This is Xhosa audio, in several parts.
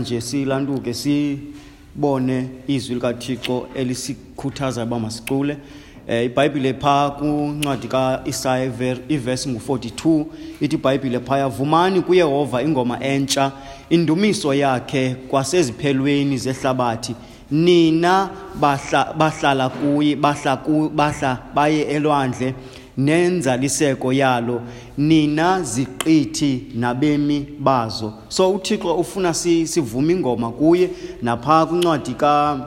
Nje silanduke sibone izwi likaThixo elisikhuthaza uba masicule. IBhayibhile phaa kuncwadi kaIsaya ivesi ngu-42 ithi iBhayibhile phaya, vumani kuYehova ingoma entsha, indumiso yakhe kwaseziphelweni zehlabathi, nina bahlala kuye, bahla baye elwandle nenzaliseko yalo, nina ziqithi nabemi bazo. So uThixo ufuna sivume ingoma kuye. Napha kwincwadi ka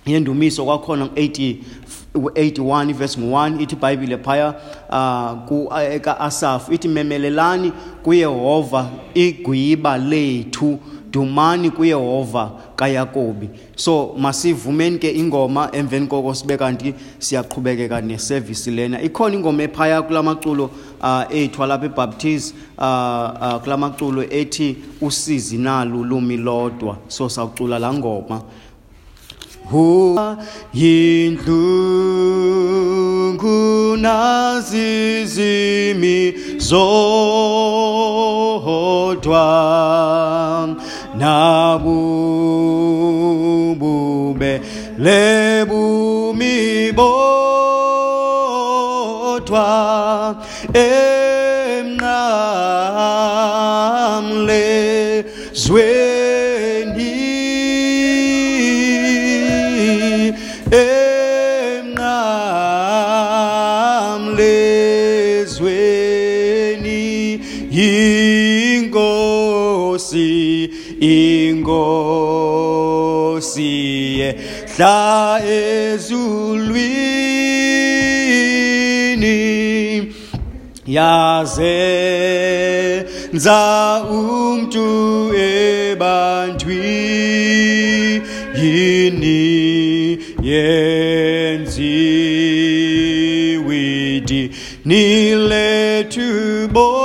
yendumiso kwakhona 81 verse 1 ithi iBhayibhile phaya ka-Asafu ithi, memelelani kuYehova igwiba lethu, dumani kuYehova kaYakobi. So masivumeni ke ingoma, emveni koko sibe kanti siyaqhubekeka neservice lena. Ikhona ingoma ephaya kulamaculo ethu alapha eBaptist, kulamaculo ethi usizi nalu lumi lodwa. So sawucula laa ngoma. Yindlungu nazizimi zodwa, nabubube lebumi bodwa, emnqamlezweni, emnqamlezweni, inkosi, inkosi yehla ezulwini, yazenza umntu ebantwini, yenziwe idini lethu boni,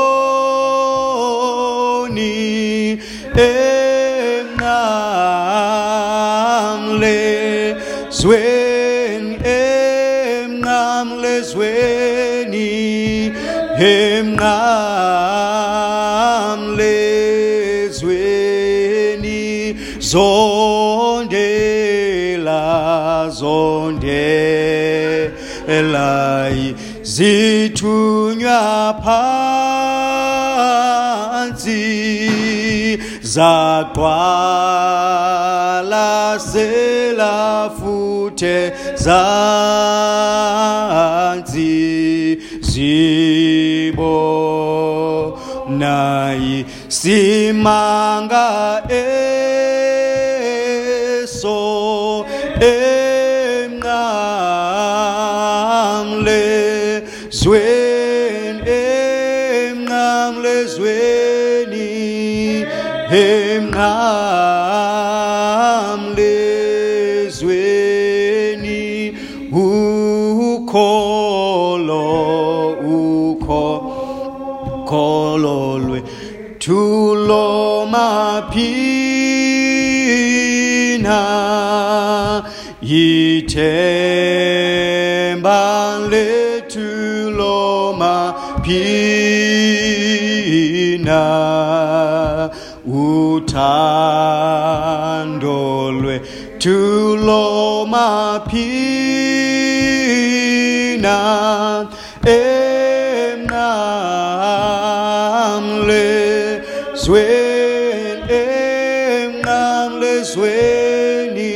emnqamlezweni, emnqamlezweni, emnqamlezweni, zondela, zondela zithunywa phantsi, zaqwalasela futhe zantsi, zibona isimanga eso, emnqamlezweni, emnqamlezweni, emnqamlezweni, ukholo, ukholo lwethu lomaphina, ithemba lethu lomaphina, uthando lwethu lomaphina, emnqamlezweni, emnqamlezweni,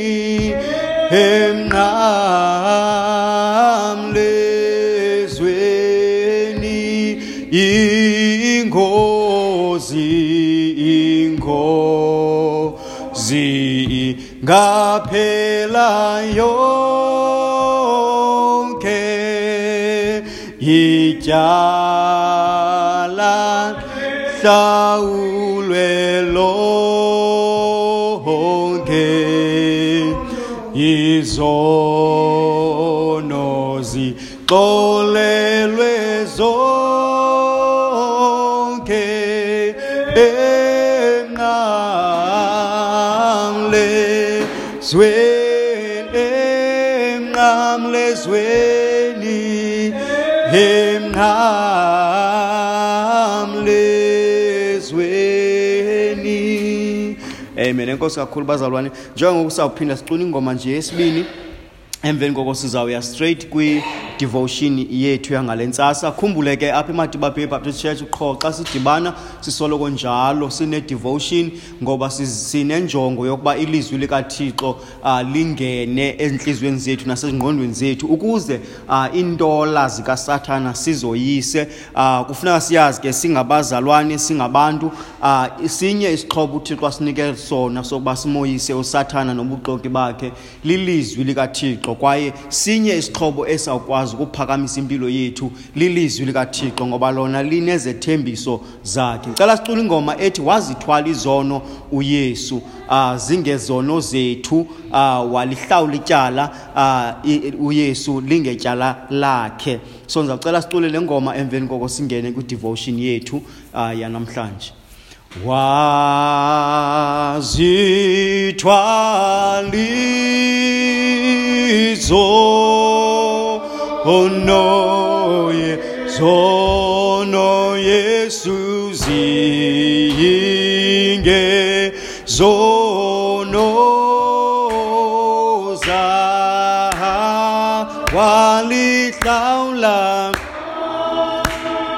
emnqamlezweni, ingozi, ingozi ngaphela yonke, ityala hlawulwe lonke, izono zixolelwe zonke, emnqamlezweni, emnqamlezweni, emnqamlezweni. Amen. Enkosi kakhulu bazalwane. Njengoku sawuphinda sicula ingoma nje yesibini, emveni koko sizawuya straight kwi-devotion yethu yangale ntsasa. Khumbule ke apha eMadiba Bay Baptist Church qho xa sidibana sisoloko njalo sine-devotion, ngoba sinenjongo yokuba ilizwi likaThixo lingene ezintliziyweni zethu nasezingqondweni zethu, ukuze iintola zikaSathana sizoyise. Kufuneka siyazi ke singabazalwane, singabantu, sinye isixhobo uThixo asinike sona sokuba simoyise uSathana nobuxoki bakhe, lilizwi likaThixo. Kwaye sinye isixhobo esawukwazi ukuphakamisa impilo yethu, lilizwi likaThixo, ngoba lona linezethembiso zakhe. Ngicela sicule ingoma ethi wazithwala izono uYesu, zingezono zethu, walihlawula ityala, uYesu lingetyala lakhe. So ngicela sicule le ngoma, emveni koko singene kwi-devotion yethu yanamhlanje. Wazithwala izono Yesu zinge zono za walihlawula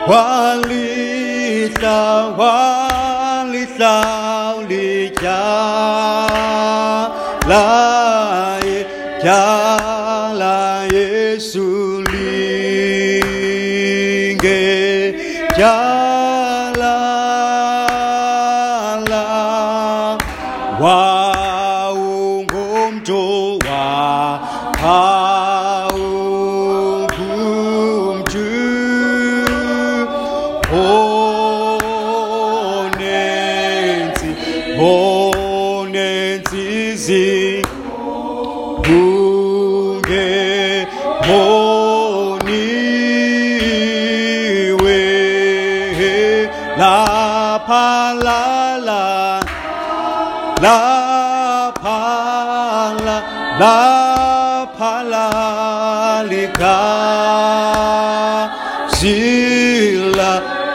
walihlawula ityala Yesu linge tyala wawungumntu wawungumntu onentsizi ungeboniwe laphalala laphala laphala ligazi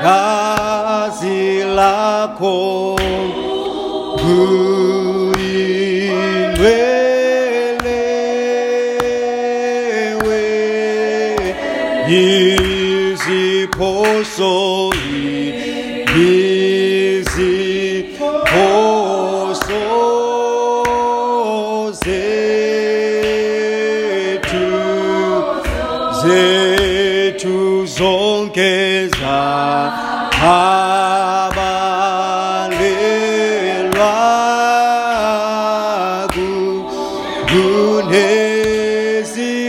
gazi lakho kuyingcwele iziphoso iziphoso zethu zonke zabalelwa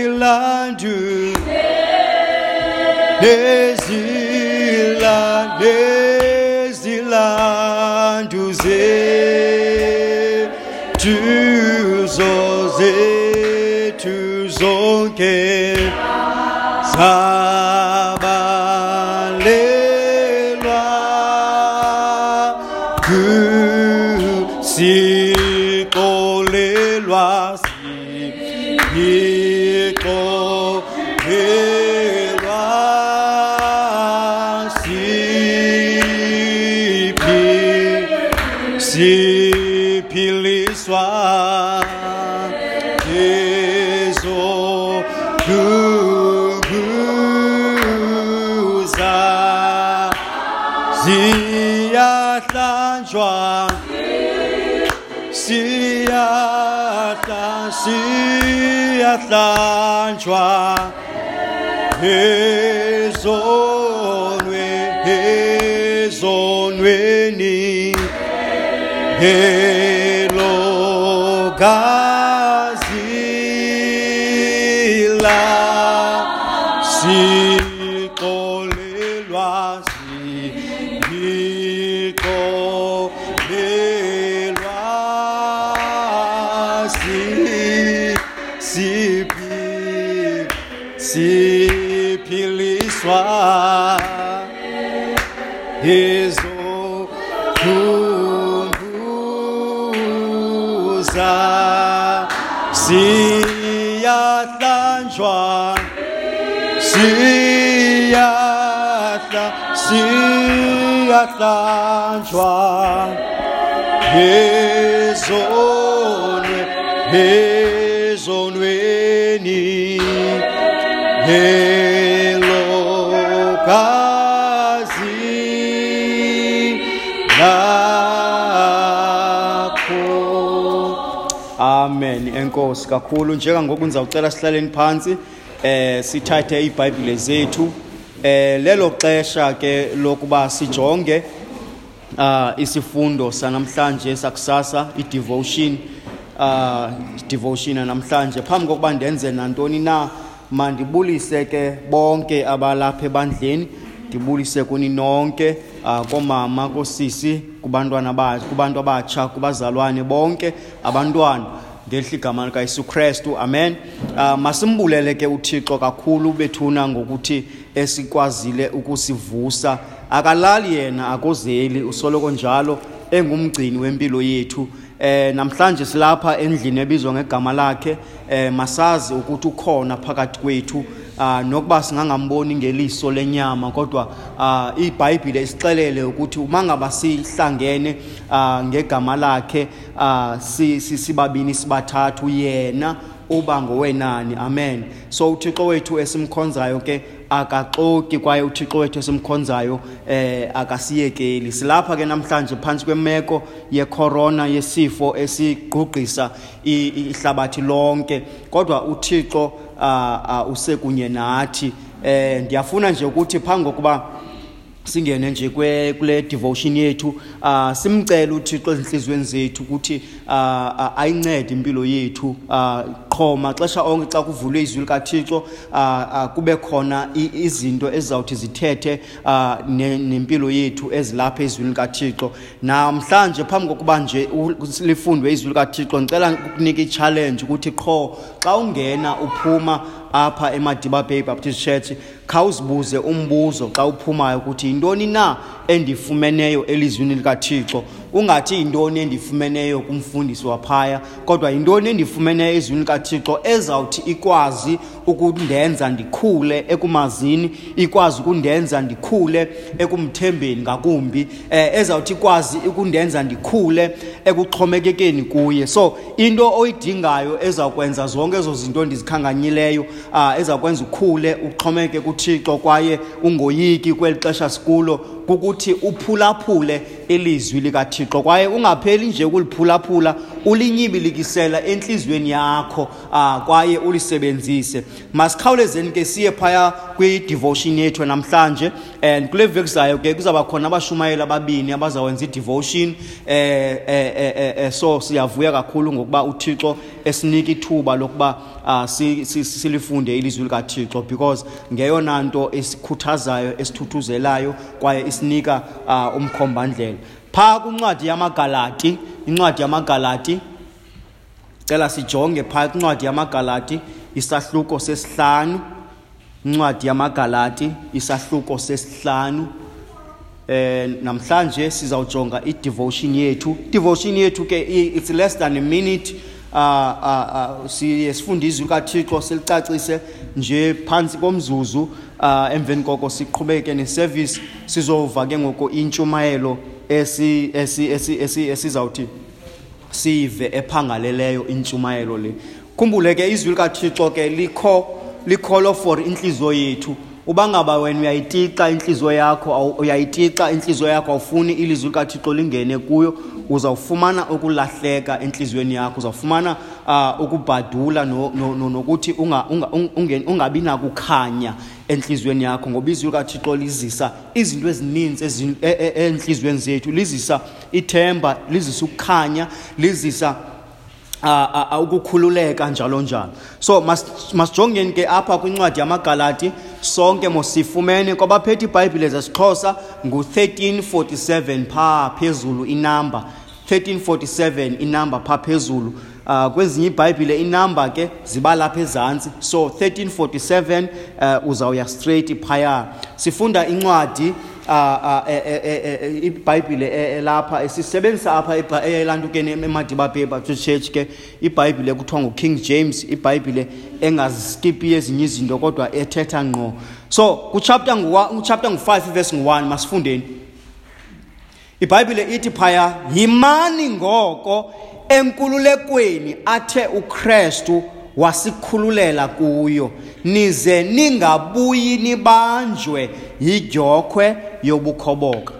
kunezilandu nezilandu zethu zonke zabalelwa sixolelwa sixolelwa siphiliswa ezoduduza siyahlanjwa siyahlanjwa ezonweni elo gazi la sixolelwa sixolelwa siphiliswa ezokhumbuza siyahlanjwa siyahlanjwa Ezonweni elo gazi lakho. Amen. Enkosi kakhulu. Njengangoku ndizawucela sihlaleni phantsi, sithathe iiBhayibhile zethu. Lelo xesha ke lokuba sijonge isifundo sanamhlanje sakusasa, i-devotion, devotion namhlanje. Phambi kokuba ndenze nantoni na, mandibulise ke bonke abalapha ebandleni, ndibulise kuni nonke, koomama, koosisi, kubantwana kubantu abatsha, kubazalwane bonke, abantwana, ngelihle igama likaYesu Kristu. Amen. Masimbulele ke uThixo kakhulu bethuna ngokuthi esikwazile ukusivusa. Akalali yena, akozeli, usoloko njalo engumgcini wempilo yethu. Namhlanje silapha endlini ebizwa ngegama lakhe. Masazi ukuthi ukhona phakathi kwethu, nokuba singangamboni ngeliso lenyama, kodwa iBhayibhile isixelele ukuthi uma ngaba sihlangene ngegama lakhe, sibabini sibathathu, yena uba ngowenani. Amen. So uThixo wethu esimkhonzayo ke akaxoki, kwaye uThixo wethu esimkhonzayo akasiyekeli. Silapha ke namhlanje phantsi kwemeko yecorona, yesifo esigqugqisa ihlabathi lonke, kodwa uThixo usekunye nathi. Ndiyafuna nje ukuthi phambi kokuba singene nje kule devotion yethu, simcele uThixo ezinhliziyweni zethu ukuthi ayincede impilo yethu. Qho maxesha onke xa kuvulwe izwi likaThixo, kube khona izinto ezizawuthi zithethe nempilo yethu ezilapha ezwini likaThixo. Namhlanje phambi kokuba nje lifundwe izwi likaThixo, ndicela ukukunika i-challenge ukuthi qho xa ungena uphuma apha eMadiba Bay Baptist Church, khawuzibuze umbuzo xa uphumayo ukuthi yintoni na endifumeneyo elizwini likaThixo. Ungathi yintoni endifumeneyo kumfundisi waphaya, kodwa yintoni endifumeneyo ezwini likaThixo ezawuthi ikwazi ukundenza ndikhule ekumazini, ikwazi ukundenza ndikhule ekumthembeni ngakumbi, ezawuthi ikwazi ukundenza ndikhule ekuxhomekekeni kuye. So into oyidingayo ezawukwenza zonke ezo zinto ndizikhanganyileyo, ezawukwenza ukhule uxhomeke kuThixo kwaye ungoyiki kweli xesha sikulo, kukuthi uphulaphule ilizwi likaThixo, kwaye ungapheli nje ukuliphulaphula, ulinyibilikisela entliziyweni yakho, kwaye ulisebenzise. Masikhawulezeni ke siye phaya kwi-devotion yethu namhlanje. And kule veki zayo ke kuzawuba khona abashumayeli ababini abazawenza i-devotion. So siyavuya kakhulu ngokuba uThixo esinika ithuba lokuba silifunde ilizwi likaThixo, because ngeyona nto esikhuthazayo, esithuthuzelayo, kwaye isinika umkhombandlela. Phaa kwincwadi yamaGalati, incwadi yamaGalati, cela sijonge phaa kwincwadi yamaGalati isahluko sesihlanu. Incwadi yamaGalati isahluko sesihlanu. Namhlanje sizawujonga i-devotion yethu. Devotion yethu ke it's less than a minute. Siye sifunde izwi likaThixo silicacise nje phantsi komzuzu, emveni koko siqhubeke neservice. Sizova ke ngoku intshumayelo esizawuthi sive ephangaleleyo intshumayelo le. Khumbule ke izwi likaThixo ke likholo for intliziyo yethu. Uba ngaba wena uyayitixa intliziyo yakho, uyayitixa intliziyo yakho, awufuni ilizwi likaThixo lingene kuyo, uzawufumana ukulahleka entliziyweni yakho, uzawufumana ukubhadula nokuthi ungabi nakukhanya entliziyweni yakho, ngoba izwi likaThixo lizisa izinto ezininzi entliziyweni zethu, lizisa ithemba, lizisa ukukhanya, lizisa ukukhululeka njalo njalo. So masijongeni ke apha kwincwadi yamaGalati, sonke mosifumene kwabaphethe iBhayibhile zesiXhosa ngu-1347 phaa phezulu inamba, 1347 inamba phaa phezulu. Kwezinye iBhayibhile inamba ke ziba lapha ezantsi, so 1347 uzawuya straight phaya. Sifunda incwadi iBhayibhile elapha esisebenzisa apha elantukeni eMadiba Bay Baptist Church ke, iBhayibhile kuthiwa nguKing James, iBhayibhile engaziskipi ezinye izinto kodwa ethetha ngqo. So kuchapter ngu-5 verse ngu-1, masifundeni. IBhayibhile ithi phaya, yimani ngoko enkululekweni athe uKristu wasikhululela kuyo, nize ningabuyi nibanjwe yidyokhwe yobukhoboka.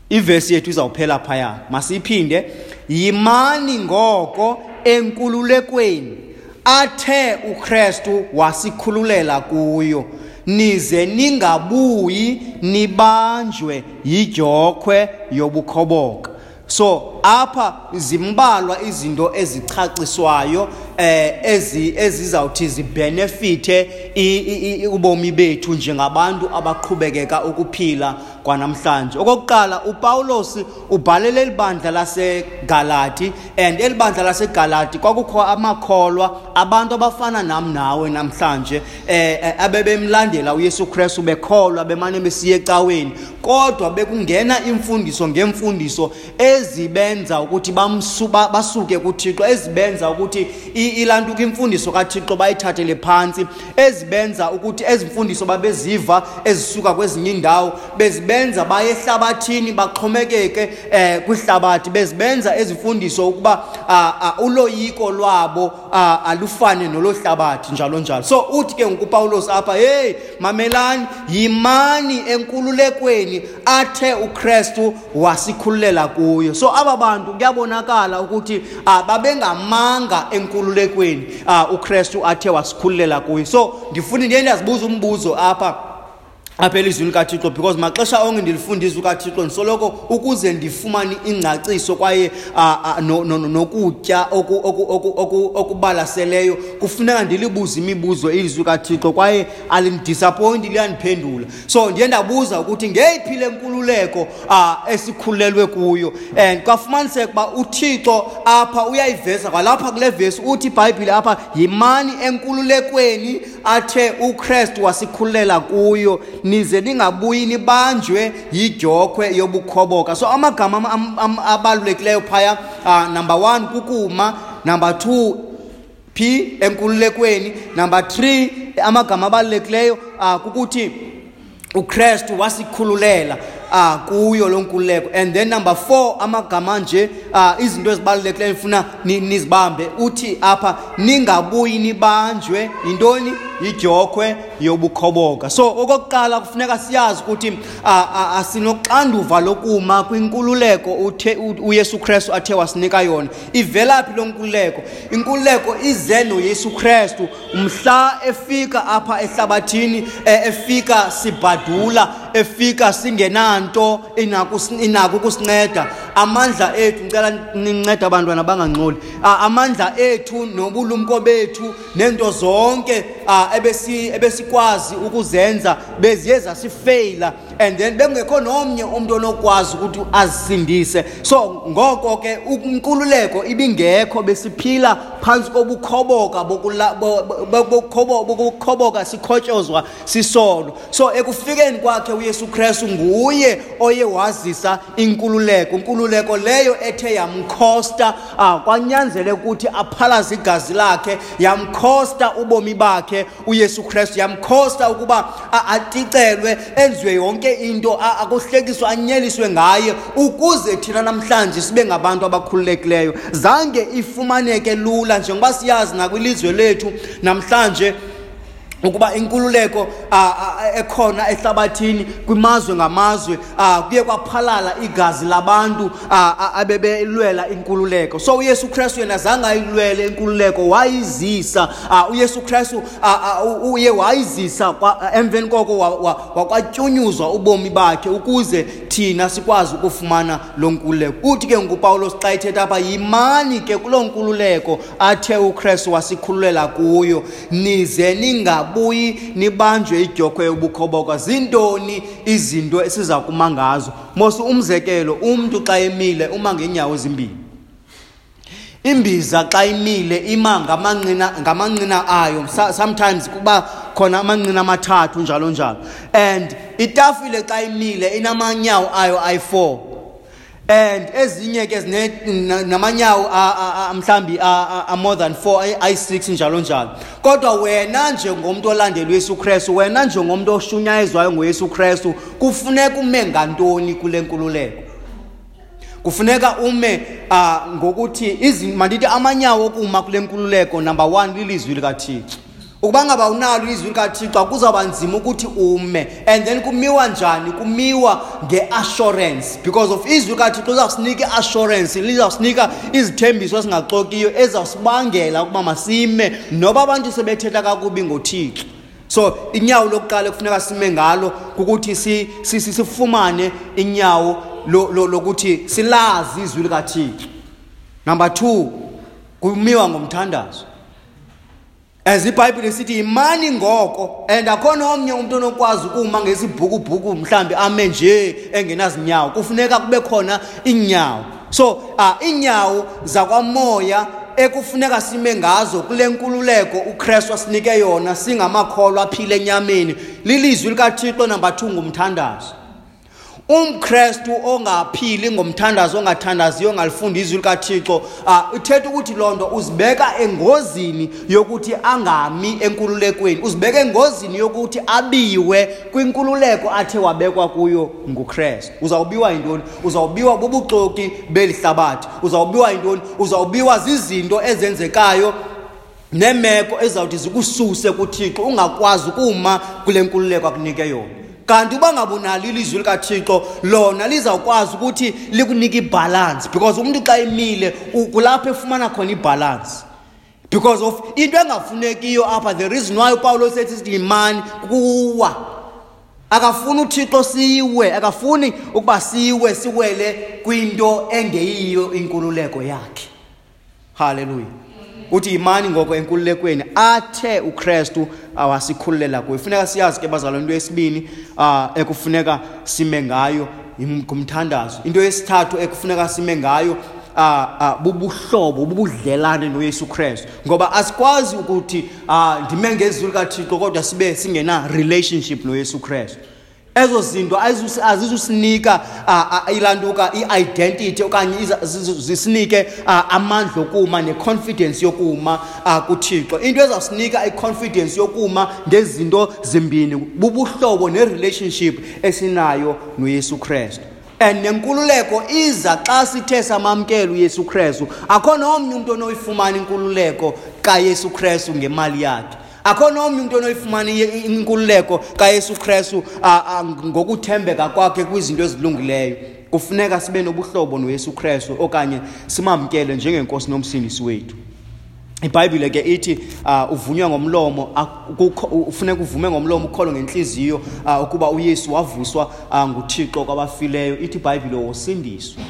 Ivesi yethu izawuphela phaya, masiyiphinde. Yimani ngoko enkululekweni athe uKristu wasikhululela kuyo, nize ningabuyi nibanjwe yidyokhwe yobukhoboka. So apha zimbalwa izinto ezichaciswayo ezizawuthi zibenefithe ubomi bethu njengabantu abaqhubekeka ukuphila kwanamhlanje. Okokuqala, uPawulos ubhalele eli bandla laseGalati, and eli bandla laseGalati kwakukho amakholwa, abantu abafana nam nawe namhlanje, abebemlandela uYesu Kristu, bekholwa, bemane besiya ecaweni, kodwa bekungena imfundiso ngemfundiso ezibenza ukuthi basuke kuThixo, ezibenza ukuthi ilantuka imfundiso kaThixo bayithathele phantsi, ezibenza ukuthi ezimfundiso babeziva ezisuka kwezinye iindawo bezibenza baye ehlabathini, baxhomekeke kwihlabathi, bezibenza ezimfundiso ukuba uloyiko lwabo alufane nolohlabathi, njalo njalo. So uthi ke ngoku uPawulos apha, hey, mamelani, yimani enkululekweni athe uKristu wasikhululela kuyo. So aba bantu kuyabonakala ukuthi babengamanga enkululekweni uKristu athe wasikhululela kuyo. So ndifuna ndiye ndiyazibuza umbuzo apha elizwini kaThixo, because maxesha onke ndilifunda izwi kaThixo ndisoloko ukuze ndifumane ingcaciso kwaye nokutya okubalaseleyo, kufuneka ndilibuze imibuzo ilizwi kaThixo kwaye alindisappointi, liyandiphendula. So ndiye ndabuza ukuthi ngeyiphi le nkululeko esikhululelwe kuyo, and kwafumaniseka uba uThixo apha uyayiveza kwalapha kule vesi, uthi iBhayibhile apha, yimani enkululekweni athe uKristu wasikhululela kuyo, nize ningabuyi nibanjwe yidyokhwe yobukhoboka. So amagama abalulekileyo phaya, number 1 kukuma, number 2 phi enkululekweni, number 3 amagama abalulekileyo kukuthi uKristu wasikhululela kuyo lo nkululeko, and then number 4 amagama nje izinto ezibalulekileyo ndifuna nizibambe, uthi apha ningabuyi nibanjwe yintoni? Yidyokhwe yobukhoboka. So okokuqala kufuneka siyazi ukuthi asinoxanduva lokuma kwinkululeko uYesu Kristu athe wasinika yona. Ivela phi lo nkululeko? Inkululeko ize noYesu Kristu mhla efika apha ehlabathini, efika sibhadula, efika singenanto inako ukusinceda. Amandla ethu, ngicela nincede abantwana bangangxoli, amandla ethu nobulumko bethu nento zonke ebesikwazi ukuzenza beziye zasifeyila, and then bekungekho nomnye umuntu onokwazi ukuthi azisindise. So ngoko ke inkululeko ibingekho, besiphila phantsi kobukhoboka bokukhoboka, sikhotyozwa sisono. So ekufikeni kwakhe uYesu Kristu nguye oye wazisa inkululeko, inkululeko leyo ethe yamkhosta, kwanyanzeleka ukuthi aphalaze igazi lakhe, yamkhosta ubomi bakhe uYesu Kristu, yamkhosta ukuba aticelwe, enziwe yonke into, akuhlekiswe, anyeliswe ngaye, ukuze thina namhlanje sibe ngabantu abakhululekileyo. Zange ifumaneke lula, njengoba siyazi nakwilizwe lethu namhlanje ukuba inkululeko ekhona ehlabathini kwimazwe ngamazwe, kuye kwaphalala igazi labantu abebelwela inkululeko. So uYesu Kristu yena zange ayilwele inkululeko, wayizisa. uYesu Kristu uye wayizisa, emveni koko wakwatyunyuzwa ubomi bakhe ukuze thina sikwazi ukufumana lo nkululeko. Uthi ke nguPawulos xa ethetha apha, yimani ke kuloo nkululeko athe uKristu wasikhululela kuyo, nize ningabuyi nibanjwe idyokhwe yobukhoboka. Zintoni izinto esiza kuma ngazo? Mos umzekelo, umntu xa emile uma ngeenyawo ezimbini. Imbiza xa imile ima ngamanqina ayo, sometimes kuba khona amanqina amathathu njalo njalo. And itafile xa imile inamanyawo ayo ayi-4, and ezinye ke namanyawo mhlambi a more than 4, ayi-6 njalo njalo. Kodwa wena njengomntu olandela uYesu Kristu, wena njengomntu oshunyayezwayo ngoYesu Kristu, kufuneka ume ngantoni kule nkululeko? Kufuneka ume ngokuthi mandithi amanyawo okuma kule nkululeko, number 1 lilizwi likaThixo. Ukuba ngaba unalo ilizwi likaThixo kuzawuba nzima ukuthi ume. And then kumiwa njani? Kumiwa nge-assurance, because of izwi likaThixo lizawusinika i-assurance, lizawusinika izithembiso ezingaxokiyo ezizawusibangela ukuba masime noba abantu sebethetha kakubi ngoThixo. So inyawo lokuqala ekufuneka sime ngalo kukuthi sifumane inyawo lokuthi silazi izwi likaThixo. Number 2, kumiwa ngomthandazo. As iBhayibhile isithi imani ngoko, and akhona omnye umuntu onokwazi ukuma ngesibhukubhuku mhlambi ame nje engenazinyawo. Kufuneka kube khona inyawo. So inyawo zakwamoya ekufuneka sime ngazo kule nkululeko uKristu asinike yona singamakholwa aphile enyameni lilizwi likaThixo. Number 2, ngumthandazo. UmKristu ongaphili ngomthandazo, ongathandaziyo, ongalifundi izwi likaThixo, ithetha ukuthi loo nto uzibeka engozini yokuthi angami enkululekweni, uzibeka engozini yokuthi abiwe kwinkululeko athe wabekwa kuyo nguKristu. Uzawubiwa yintoni? Uzawubiwa bubuxoki beli hlabathi. Uzawubiwa yintoni? Uzawubiwa zizinto ezenzekayo neemeko ezizawuthi zikususe kuThixo, ungakwazi ukuma kule nkululeko akunike yona. Kanti uba ngabunalo ilizwi likaThixo, lona lizawukwazi ukuthi likunike ibalance, because umuntu xa emile kulapho efumana khona ibalance. Because of into engafunekiyo apha, the reason why uPawulos ethi sithi yimani kuwa, akafuni uThixo siwe, akafuni ukuba siwe, siwele kwinto engeyiyo inkululeko yakhe. Hallelujah. Uthi yimani ngoko enkululekweni athe uKristu awasikhululela kuyo. Funeka siyazi ke bazalwane, into yesibini ekufuneka sime ngayo ngumthandazo. Into yesithathu ekufuneka sime ngayo bubuhlobo, bubudlelane noYesu Kristu. Ngoba asikwazi ukuthi ndime ngezwi likaThixo kodwa sibe singena relationship noYesu Kristu. Ezo zinto azizusinika ilantuka i-identity okanye zisinike amandla okuma ne-confidence yokuma kuThixo. Into ezawusinika i-confidence yokuma ngezinto zimbini bubuhlobo ne-relationship esinayo noYesu Kristu. And nenkululeko iza xa sithe samamkela uYesu Kristu. Akho nomnye umuntu onoyifumana inkululeko kaYesu Kristu ngemali yakhe. Akho nomnye umuntu onoyifumana inkululeko kaYesu Kristu ngokuthembeka kwakhe kwizinto ezilungileyo. Kufuneka sibe nobuhlobo noYesu Kristu okanye simamkele njengenkosi nomsindisi wethu. iBhayibhile ke ithi uvunywa ngomlomo, ufuneka uvume ngomlomo ukholo ngenhliziyo ukuba uYesu wavuswa nguThixo kwabafileyo. Ithi iBhayibhile wosindiswa.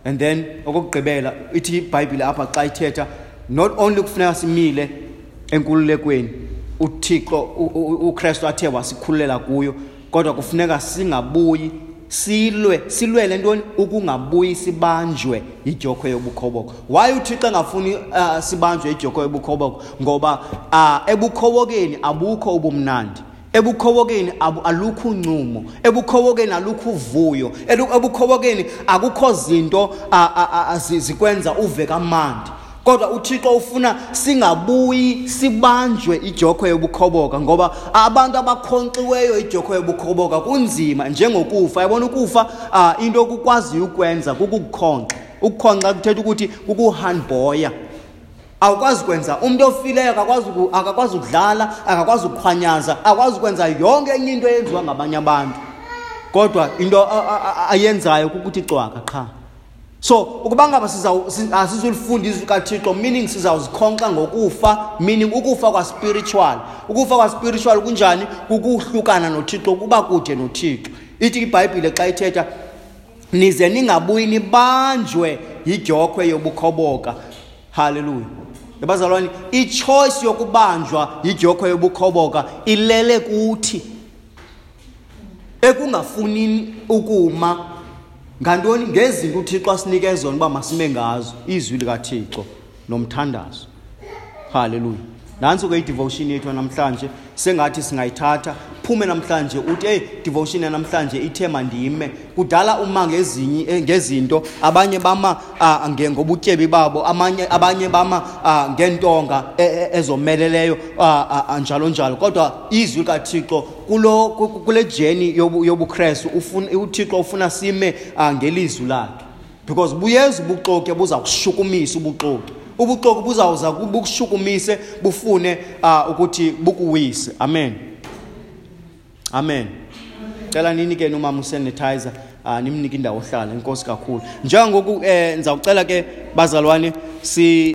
And then okokugqibela ithi iBhayibhile apha xa ithetha, not only kufuneka simile enkululekweni uThixo uKristu athe wasikhululela kuyo, kodwa kufuneka singabuyi silwele ntoni? Ukungabuyi sibanjwe idyokhwe yobukhoboka. Why uThixo engafuni sibanjwe idyokhwe yobukhoboka? Ngoba ebukhobokeni abukho ubumnandi, ebukhobokeni alukho uncumo, ebukhobokeni alukho uvuyo, ebukhobokeni akukho zinto zikwenza uve kamandi. Kodwa uThixo ufuna singabuyi sibanjwe idyokhwe yobukhoboka, ngoba abantu abakhonkxiweyo idyokhwe yobukhoboka kunzima njengokufa. Yabona ukufa, into okukwaziyo ukwenza kukukhonkxa. Ukukhonkxa kuthetha ukuthi kukuhandboya. Awukwazi kwenza. Umuntu ofileyo akakwazi ukudlala, akakwazi ukuqhwanyaza, akakwazi ukwenza yonke enye into eyenziwa ngabanye abantu. Kodwa into ayenzayo kukuthi cwaka qha. So ukuba ngaba asizulifunda izwi likaThixo, meaning sizawuzikhonkxa ngokufa, meaning ukufa kwa spiritual. Ukufa kwa spiritual kunjani? Kukuhlukana noThixo, kuba kude noThixo. Ithi iBhayibhile xa ithetha, nize ningabuyi nibanjwe yidyokhwe yobukhoboka. Hallelujah. Bazalwane, i-choice yokubanjwa yidyokhwe yobukhoboka ilele kuthi ekungafunini ukuma ngantoni? Ngezinto uThixo asinike zona uba masime ngazo, izwi likaThixo nomthandazo. Hallelujah. Nantso ke i-devotion yethu namhlanje, sengathi singayithatha Phume namhlanje uthi, "Hey, devotion namhlanje ithe mandime." Kudala uma ngezinye ngezinto, abanye bama ngobutyebi babo, abanye bama ngeentonga ezomeleleyo, njalo njalo. Kodwa izwi likaThixo kulo kule journey yobuKristu, ufuna uThixo ufuna sime ngelizwi lakhe, because buyeza ubuxoki buza kushukumisa. Ubuxoki buzawuza bukushukumise, bufune ukuthi bukuwise. Amen, amen. Cela nini ke nomama usanitizer, nimnike indawo ohlala. Inkosi kakhulu. Njengoku ndizawucela ke, bazalwane, si